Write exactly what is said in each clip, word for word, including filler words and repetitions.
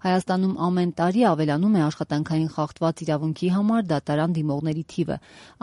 Հայաստանում ամեն տարի ավելանում է աշխատանքային խախտված իրավունքի համար դատարան դիմողների թիվը։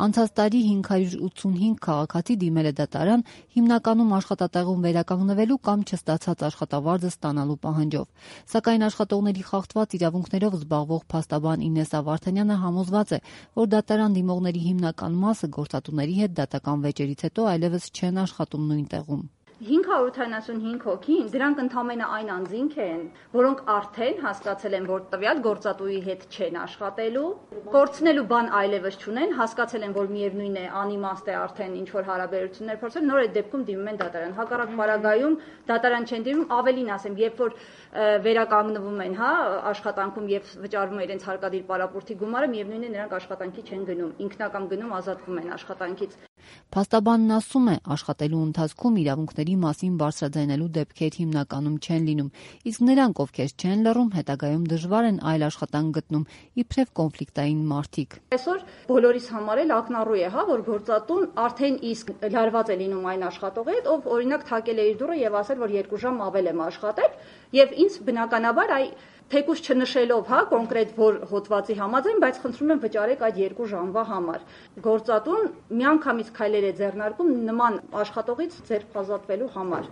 Անցած տարի հինգ հարյուր ութսունհինգ քաղաքացի դիմել է դատարան, հիմնականում աշխատատեղում վերականգնվելու կամ չստացած աշխատավարձը ստանալու պահանջով։ Սակայն աշխատողների խախտված իրավունքներով զբաղվող փաստաբան Ինեսսա Վարդանյանը համոզված է, որ դատարան դիմողների հիմնական մասը գործատուների հետ դատական վեճերից հետո այլևս չեն աշխատում նույն տեղում։ հինգ հարյուր ութանասունհինգ հոգին, դրանք ընդամենը այն անձինք են, որոնք արդեն հասկացել են, որ տվյալ գործատուի հետ չեն աշխատելու, կորցնելու բան այլևս չունեն, հասկացել են, որ միևնույն է, անիմաստ է արդեն ինչ որ հարաբերություններ փորձել, նոր այդ դեպքում դիմում են դատարան։ Հակառակ պարագայում դատարան չեն դիմում, ավելին ասեմ, երբ որ վերականգնվում են, հա, աշխատանքում եւ վճարվում է իրենց հարկադիր պարապորտի գումարը, միևնույն է, նրանք աշխատանքի չեն գնում, ինքնակամ գնում ազատվում են աշխատանքից։ Փաստաբանն ասում է, աշխատելու ընթացքում իրավունքների մասին բարձրաձայնելու դեպքեր հիմնականում չեն լինում, իսկ նրանք, ովքեր չեն լռում, հետագայում դժվար են այլ աշխատանք գտնում, իբրև կոնֆլիկտային մարդիկ։ Այսօր բոլորիս համար էլ ակնառու է, հա, որ գործատուն արդեն իսկ լարված է լինում այն աշխատողի հետ, ով օրինակ թակել է իր դուռը եւ ասել, որ երկու ժամ ավել եմ աշխատել, եւ ինձ բնականաբար այ թեկուզ չնշելով, հա, կոնկրետ որ հոդվածի համաձայն, բայց խնդրում եմ վճարեք այդ երկու ժամվա համար։ Գործատուն միանգամից քայլեր է ձեռնարկում նման աշխատողից ձեռք ազատվելու համար։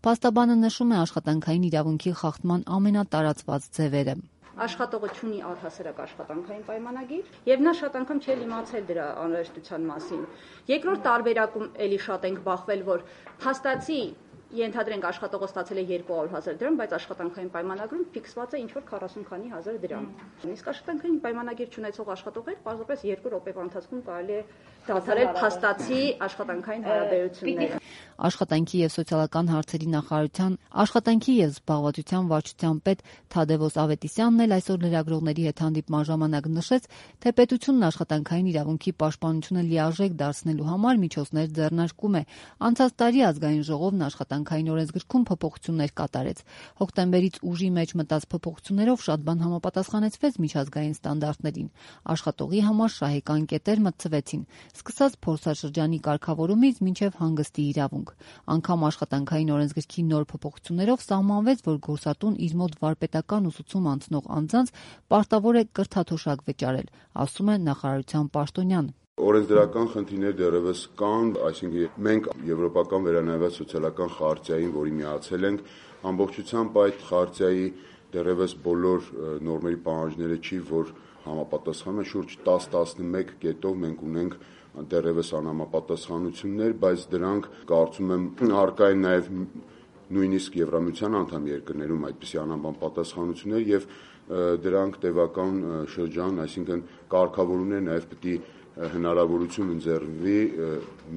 Փաստաբանը նշում է աշխատանքային իրավունքի խախտման ամենատարածված ձևերը։ Աշխատողը ունի առհասարակ աշխատանքային պայմանագիր եւ նա շատ անգամ չէ իմացել դրա անհրաժեշտության մասին։ Երկրորդ տարբերակում էլի շատ ենք բախվել, որ փաստացի ենթադրենք աշխատողը ստացել է երկու հարյուր հազար դրամ, բայց աշխատանքային պայմանագրում ֆիքսված է ինչ որ քառասուն քանի հազար դրամ։ Իսկ աշխատանքային պայմանագիր չունեցող աշխատողներ պարզապես երկու րոպեվա ընթացքում կարելի է դադարել փաստացի աշխատանքային հարաբերությունները։ Աշխատանքի եւ սոցիալական հարցերի նախարարության աշխատանքի եւ զբաղվածության վարչության պետ Թադևոս Ավետիսյանն էլ այսօր լրագրողների հետ հանդիպման ժամանակ նշեց, թե պետությունն աշխատանքային իրավունքի պաշտպանությունը լիարժեք դարձնելու համար միջոցներ ձեռնարկում է։ Անցած տարի ազգային ժողովն աշխատանքային օրենսգրքում փոփոխություններ կատարեց։ Հոկտեմբերից ուժի մեջ մտած փոփոխություններով շատ բան համապատասխանեցվեց միջազգային ստանդարտներին։ Աշխատողի համար շահեկան կետեր մտցվեցին, սկսած փորձաշրջանի կարգավորումից մինչև հանգստի իրավունք։ Անգամ աշխատանքային օրենսգրքի նոր փոփոխություններով սահմանվեց, որ գործատուն իր մոտ վարպետական ուսուցում անցնող անձանց պարտավոր է կրթաթոշակ վճարել, ասում է նախարարության պաշտոնյան։ Օրենսդրական խնդիրներ դեռևս կան, այսինքն մենք եվրոպական վերանայված սոցիալական խարտիային, որի միացել ենք, ամբողջությամբ այդ խարտիայի դեռևս բոլոր նորմերի պահանջները չի, որ համապատասխանում են, շուրջ տասը տասնմեկ կետով մենք ունենք դեռևս անհամապատասխանություններ, բայց դրանք կարծում եմ առկա են նաև նույնիսկ Եվրամիության անդամ երկրներում այդպիսի անհամապատասխանություններ եւ դրանք տևական շրջան, այսինքն կարգավորումներ նաև պետք է հնարավորություն ընձեռվի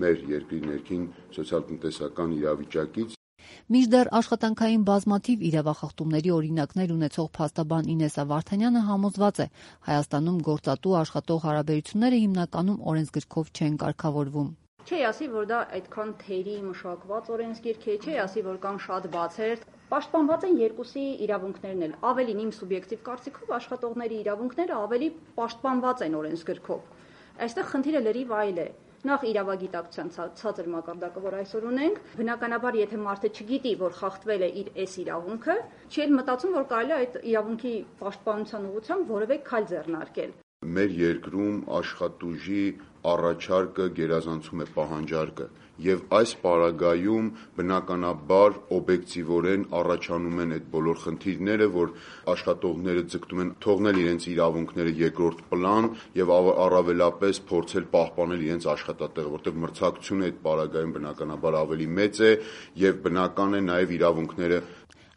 մեր երկրի ներքին սոցիալ-տնտեսական իրավիճակից։ Մինչդեռ աշխատանքային բազմաթիվ իրավախախտումների օրինակներ ունեցող փաստաբան Ինեսսա Վարդանյանը համոզված է, Հայաստանում գործատու աշխատող հարաբերությունները հիմնականում օրենսգրքով չեն կարգավորվում։ Չի ասի, որ դա այդքան թերի մշակված օրենսգիրք է, չի ասի, որ կան շատ բացեր։ Պաշտպանված են երկուսի իրավունքներն էլ։ Ավելին իմ սուբյեկտիվ կարծիքով աշխատողների իրավունքները ավելի պաշտպանված են օրենսգրքով։ Այստեղ խնդիրը լրիվ այլ է։ Նախ իրավագիտակցության ցածր մակարդակը, որ այսօր ունենք, բնականաբար եթե մարդը չգիտի, որ խախտվել է իր այս իրավունքը, չի էլ մտածում, որ կարելի է այդ իրավունքի պաշտպանության ուղղությամբ որևէ քայլ ձեռնարկել։ Մեր երկրում աշխատուժի առաջարկը գերազանցում է պահանջարկը եւ այս պարագայում բնականաբար օբյեկտիվորեն առաջանում են այդ բոլոր խնդիրները, որ աշխատողները ձգտում են թողնել իրենց իրավունքները երկրորդ պլան եւ առավելապես փորձել պահպանել իրենց աշխատատեղը, որտեղ մրցակցությունը այդ պարագայում բնականաբար ավելի մեծ է եւ բնական է նաեւ իրավունքները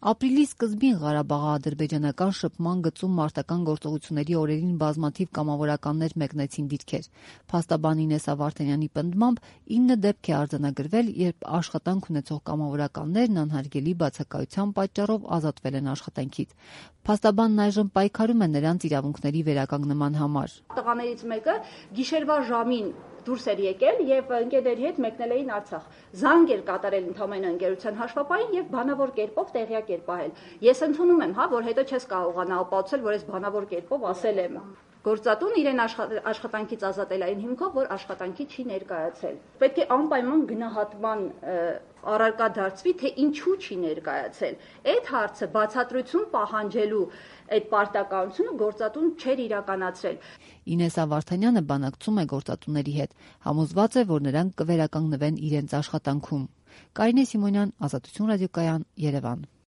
Ապրիլի սկզբին Ղարաբաղի-ադրբեջանական շփման գծում մարտական գործողությունների օրերին բազմաթիվ կամավորականներ մեկնեցին դիրքեր։ Փաստաբան Ինեսսա Վարդանյանի պնդմամբ ինը դեպք է արձանագրվել, երբ աշխատանք ունեցող կամավորականներն անհարգելի բացակայության պատճառով ազատվել են աշխատանքից։ Փաստաբանն այժմ պայքարում է նրանց իրավունքների վերականգնման համար։ Տղաներից մեկը գիշերվա ժամին դուրս էր եկել եւ ընկերների հետ մեկնել էին Արցախ։ Զանգ էր կատարել ընդհանրապես ընկերության հաշվապային եւ բանավոր կերպով տեղյակ էր պահել։ Ես ընդունում եմ, հա, որ հետո չես կարողանա ապացուցել, որ ես բանավոր կերպով ասել եմ։ Գործատուն իրեն աշխատանքից ազատել այն հիմքով, որ աշխատանքի չի ներկայացել։ Պետք է անպայման գնահատման առարկա դարձվի, թե ինչու չի ներկայացել։ Այդ հարցը բացատրություն պահանջելու այդ պարտականությունը գործատուն չէր իրականացրել։ Ինեսա Վարդանյանը բանակցում է գործատուների հետ, համոզված է, որ նրանք կվերականգնվեն իրենց աշխատանքում։ Կարինե Սիմոնյան, Ազատություն ռադիոկայան, Երևան։